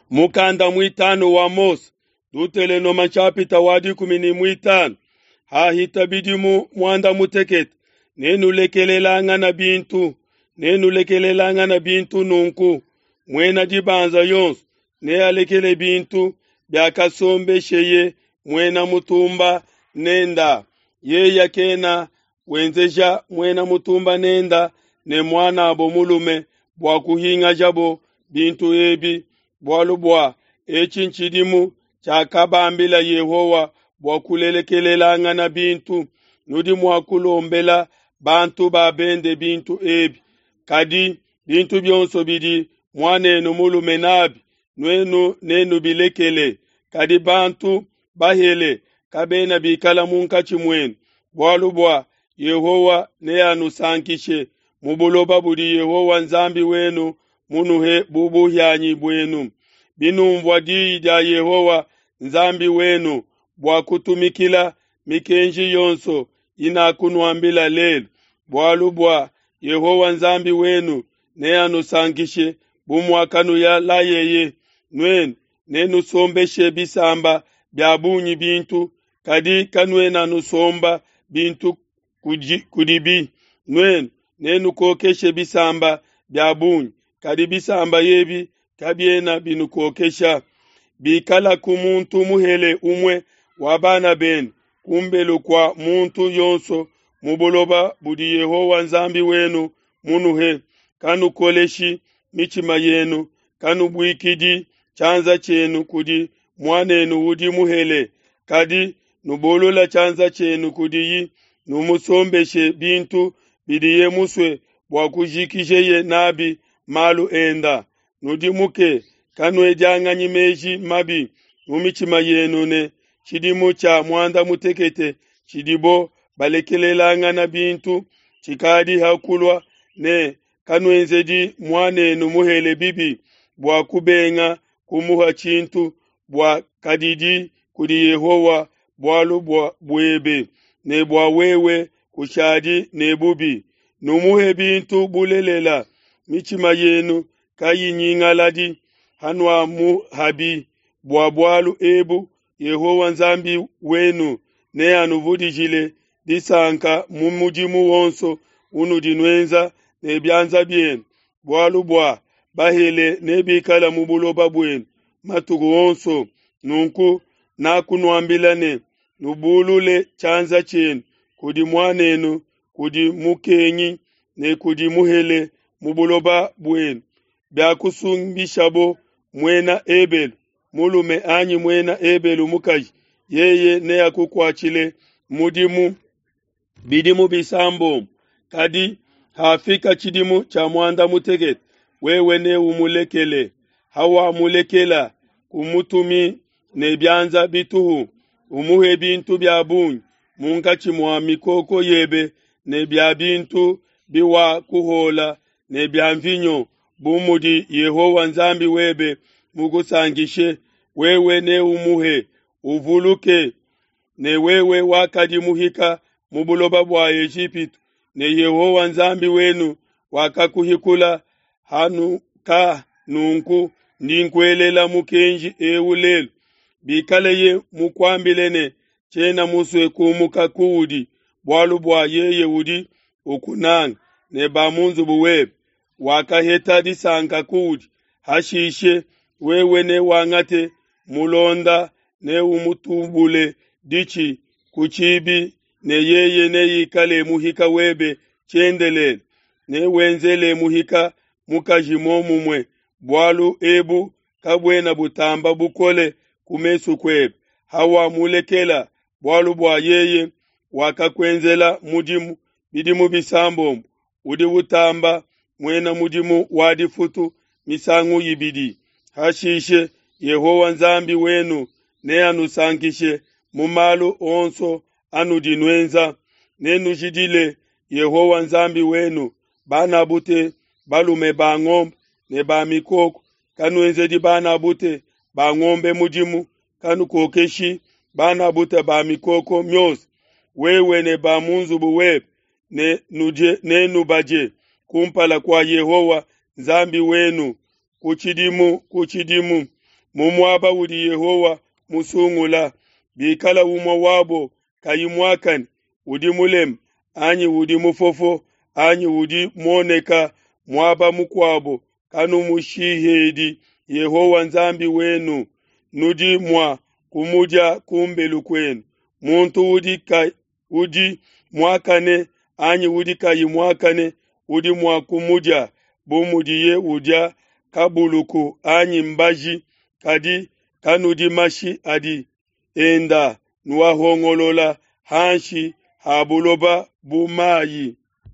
Mukanda muitanu wa Mose, Dutelenoma nshapita wa 15. Hahita bidimu muanda mutekete, nenulekelelangana bintu, nenulekelelangana bintu nunku. Muena dibanza yonso nealekele bintu biakasombesheye muena mutumba nenda. Yeya kena wenzeja muena mutumba nenda ne muanabo mulume bua kuhingajabo bintu ebi, bualu bua etshi ntshidimu tshiakabambila Yehowa bua kulelekelelangana bintu. Nudi mua kulombela bantu ba bende bintu ebi, kadi bintu bionso bidi muanenu mulume nabi nuenu nenubilekele. Kadi bantu bahele kabena bikala munkatshi muenu, bualu bua Yehowa neanusankishe mu buloba budi Yehowa Nzambi wenu munuhe bu buhianyi buenu. Binumvua diyi dia Yehowa Nzambi wenu bua kutumikila mikenji yonso inakunuambila lelu, bualu bua Yehowa Nzambi wenu neanusankishe bu muakanulayeye. Nuenu nenusombeshe bisamba bia bungi bintu, kadi kanuena nusomba bintu kudibi. Nuenu nenukokeshe bisamba bia bungi, kadi bisamba ebi kabiena binukokesha. Bikalaku muntu muhele umue wa bana benu kumbelu kua muntu yonso mu buloba budi Yehowa Nzambi wenu munuhe, kanukoleshi mitshima yenu, kanubuikidi tshianza tshienu kudi muanenu udi muhele, kadi nubulula tshianza tshienu kudiyi, numusombeshe bintu bidiye musue bua kujikijeye nabi malu enda. Nudimuke, kanuedianganyi meji mabi mu mitshima yenu ne tshidimu tshia muanda mutekete tshidibo balekelelangana bintu tshikadi ha kulua, ne kanuenzedi muanenu muhele bibi bua kubenga kumuha tshintu, bua kadidi kudi Yehowa bualu buebe, ne bua wewe kushadi ne bubi. Numuhe bintu bulelela, mitshima yenu kayinyingaladi hanuamuhabi. Bua bualu ebu Yehowa Nzambi wenu neanuvudijile disanka mu mudimu wonso unudi nuenza ne bianza bienu, bualu bua bahele nebikale mu buloba buenu matuku onso. Nunku nakunuambila ne, nubulule tshianza tshienu kudi muanenu, kudi mukengi ne kudi muhele mu buloba buenu. Biakusumbishabo muena Ebelu mulume anyi muena Ebelu mukaji, yeye neakukuatshile mudimu bidimu bisambombo. Kadi hafika tshidimu tshia muanda mutekete, wewe neumulekele. Hawamulekela, kumutumi ne bianza bituhu, umuhe bintu bia bungi munkatshi mua mikoko yebe ne bia bintu biwakuhola ne bia mvinyo, bu mudi Yehowa Nzambi webe mukusankishe. Wewe neumuhe, uvuluke ne wewe wakadi muhika mu buloba bua Ejipitu, ne Yehowa Nzambi wenu wakakuhikula hanuka. Nunku ndi nkuelela mukenji ewu lelu. Bikaleye mukuambile ne, tshiena musue kumuka kuudi, bualu bua yeye udi ukunanga ne ba mu nzubu webe, wakaheta disanka kuudi. Hashishe wewe newangate mulonda neumutubule ditshi ku tshibi, ne yeye neikale muhika webe tshiendelele. Newenzele muhika mukaji muomumue, bualu ebu kabuena butamba bukole ku mesu kuebe. Hawamulekela, bualu bua yeye wakakuenzela mudimu bidimu bisambombo, udi utamba muena mudimu wa difutu misangu ibidi. Hashishe Yehowa Nzambi wenu neanusankishe mu malu onso anudi nuenza. Nenujidile Yehowa Nzambi wenu bana bute balume ba ngombe ne ba mikoko. Kanuenzedi bana bute ba ngombe mudimu, kanukokeshi bana bute ba mikoko miosa. Wewe ne ba mu nzubu webe nenubadie kumpala kua Yehowa Nzambi wenu ku tshidimu ku tshidimu. mu muaba udi Yehowa musungula. Bikala umue wabo kayi muakane, udi mulema anyi udi mufofo anyi udi muoneka muaba mukuabo, kanumushihedi Yehowa Nzambi wenu, nudi mua kumudia ku mbelu kuenu, muntu udi, ka, udi muakane anyi udi kayi muakane udi mua kumudia bu mudiye udia kabuluku anyi mbaji, kadi kanudi mashi adi enda nuahongolola hanshi ha buloba bu mayi.